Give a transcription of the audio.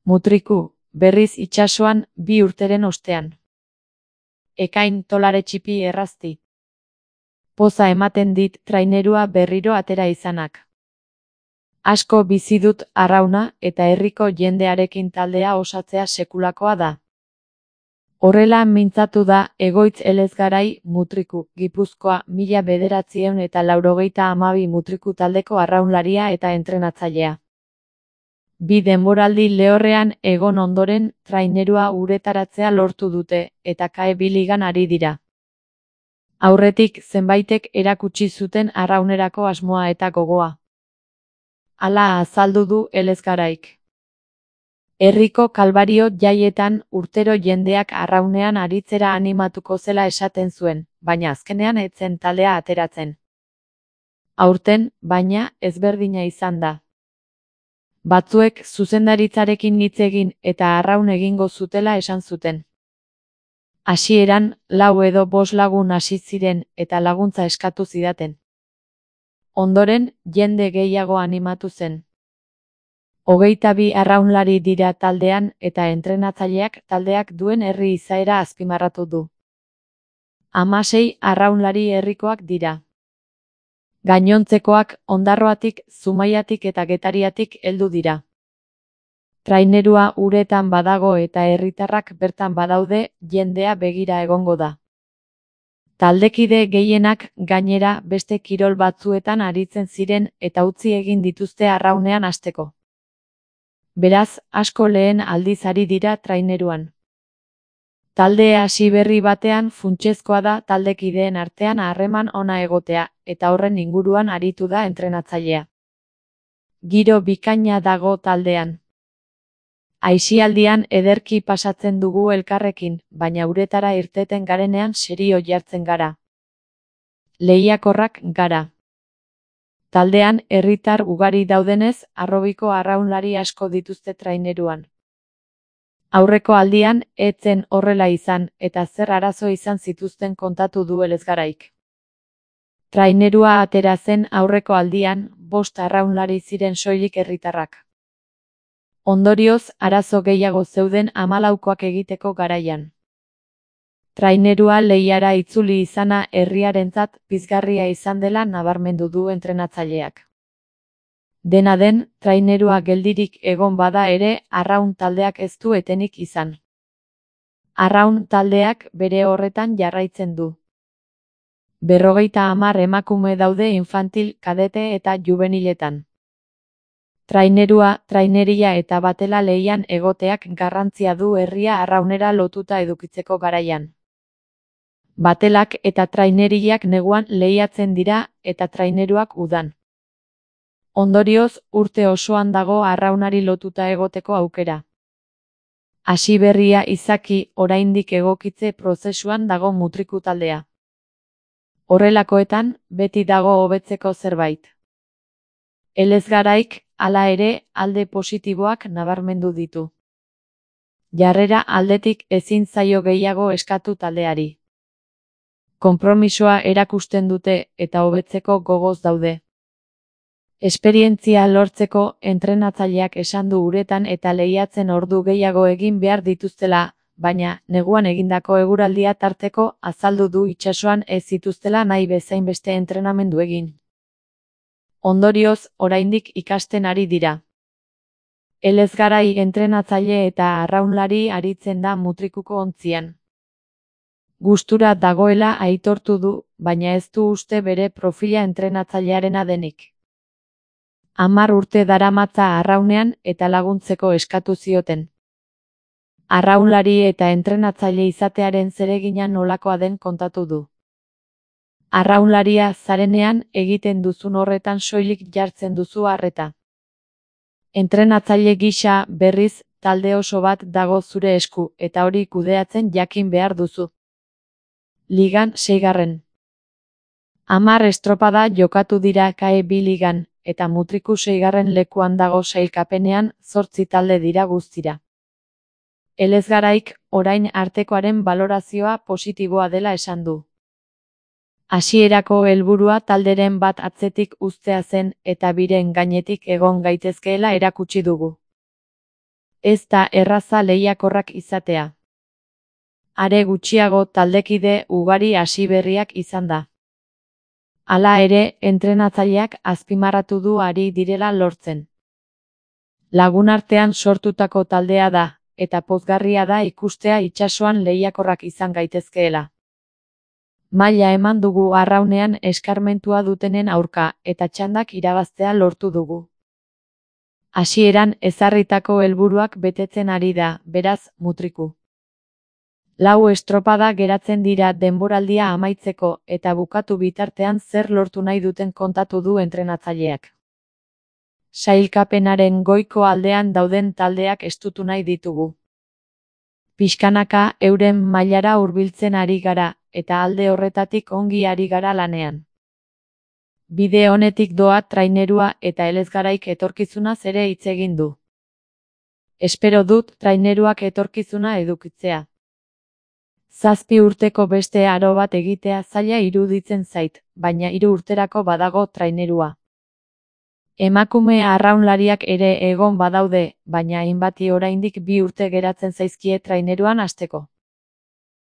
Mutriku, berriz itsasoan 2 urteren ostean. Ekain tolare txipi errazti. Poza ematen dit trainerua berriro atera izanak. Asko bizi dut arrauna eta herriko jendearekin taldea osatzea sekulakoa da. Horrela mintzatu da Egoitz Elezgarai Mutriku, Gipuzkoa 1992 Mutriku taldeko arraunlaria eta entrenatzailea. 2 denboraldi lehorrean egon ondoren trainerua uretaratzea lortu dute eta KE2 ligan ari dira. Aurretik zenbaitek erakutsi zuten arraunerako asmoa eta gogoa. Hala azaldu du Elezgaraik. Herriko Kalbario jaietan urtero jendeak arraunean aritzera animatuko zela esaten zuen, baina azkenean ez zen taldea ateratzen. Aurten, baina, ezberdina izan da. Batzuek zuzendaritzarekin hitz egin eta arraun egingo zutela esan zuten. Hasieran, 4 edo 5 lagun hasi ziren eta laguntza eskatu zidaten. Ondoren, jende gehiago animatu zen. 22 arraunlari dira taldean eta entrenatzaileak taldeak duen herri izaera azpimarratu du. 16 arraunlari herrikoak dira. Gainontzekoak Ondarroatik, Zumaiatik eta Getariatik heldu dira. Trainerua uretan badago eta herritarrak bertan badaude, jendea begira egongo da. Taldekide gehienak gainera beste kirol batzuetan aritzen ziren eta utzi egin dituzte arraunean hasteko. Beraz, asko lehen aldiz ari dira traineruan. Talde hasi berri batean funtsezkoa da taldekideen artean harreman ona egotea, eta horren inguruan aritu da entrenatzailea. Giro bikaina dago taldean. Aisialdian ederki pasatzen dugu elkarrekin, baina uretara irteten garenean serio jartzen gara. Lehiakorrak gara. Taldean herritar ugari daudenez, harrobiko arraunlari asko dituzte traineruan. Aurreko aldian, ez zen horrela izan, eta zer arazo izan zituzten kontatu du Elezgaraik. Trainerua atera zen aurreko aldian, 5 arraunlari ziren soilik herritarrak. Ondorioz, arazo gehiago zeuden 14koak egiteko garaian. Trainerua lehiara itzuli izana herriarentzat pizgarria izan dela nabarmendu du entrenatzaileak. Dena den, trainerua geldirik egon bada ere, arraun taldeak ez du etenik izan. Arraun taldeak bere horretan jarraitzen du. 50 emakume daude infantil, kadete eta juveniletan. Trainerua, traineria eta batela lehian egoteak garrantzia du herria arraunera lotuta edukitzeko garaian. Batelak eta traineriak neguan lehiatzen dira eta traineruak udan. Ondorioz, urte osoan dago arraunari lotuta egoteko aukera. Hasi berria izaki oraindik egokitze prozesuan dago Mutriku taldea. Horrelakoetan, beti dago hobetzeko zerbait. Elezgaraik, hala ere, alde positiboak nabarmendu ditu. Jarrera aldetik ezin zaio gehiago eskatu taldeari. Konpromisoa erakusten dute eta hobetzeko gogoz daude. Esperientzia lortzeko entrenatzaileak esan du uretan eta lehiatzen ordu gehiago egin behar dituztela, baina neguan egindako eguraldia tarteko azaldu du itsasoan ez zituztela nahi bezain beste entrenamendu egin. Ondorioz, oraindik ikasten ari dira. Elezgarai entrenatzaile eta arraunlari aritzen da Mutrikuko ontzian. Gustura dagoela aitortu du, baina ez du uste bere profila entrenatzailearena denik. 10 urte daramatza arraunean eta laguntzeko eskatu zioten. Arraunlari eta entrenatzaile izatearen zeregina nolakoa den kontatu du. Arraunlaria zarenean egiten duzun horretan soilik jartzen duzu arreta. Entrenatzaile gisa berriz talde oso bat dago zure esku eta hori kudeatzen jakin behar duzu. Ligan 6. 10 estropada jokatu dira KE2 ligan, eta Mutriku 6. lekuan dago sailkapenean 8 talde dira guztira. Elezgaraik, orain artekoaren balorazioa positiboa dela esan du. Hasierako helburua talderen bat atzetik uztea zen eta biren gainetik egon gaitezkeela erakutsi dugu. Ez da erraza lehiakorrak izatea. Are gutxiago taldekide ugari hasiberriak izan da. Hala ere, entrenatzaileak azpimarratu du ari direla lortzen. Lagunartean sortutako taldea da, eta pozgarria da ikustea itsasoan lehiakorrak izan gaitezkeela. Maila eman dugu arraunean eskarmentua dutenen aurka, eta txandak irabaztea lortu dugu. Hasieran ezarritako helburuak betetzen ari da, beraz, mutriku. 4 estropada geratzen dira denboraldia amaitzeko eta bukatu bitartean zer lortu nahi duten kontatu du entrenatzaileak. Sailkapenaren goiko aldean dauden taldeak estutu nahi ditugu. Pixkanaka euren mailara hurbiltzen ari gara, eta alde horretatik ongi ari gara lanean. Bide honetik doa trainerua eta Elezgaraik etorkizunaz ere hitz egin du. Espero dut traineruak etorkizuna edukitzea. 7 urteko beste aro bat egitea zaila iruditzen zait, baina 3 urterako badago trainerua. Emakume arraunlariak ere egon badaude, baina hainbati oraindik 2 urte geratzen zaizkie traineruan hasteko.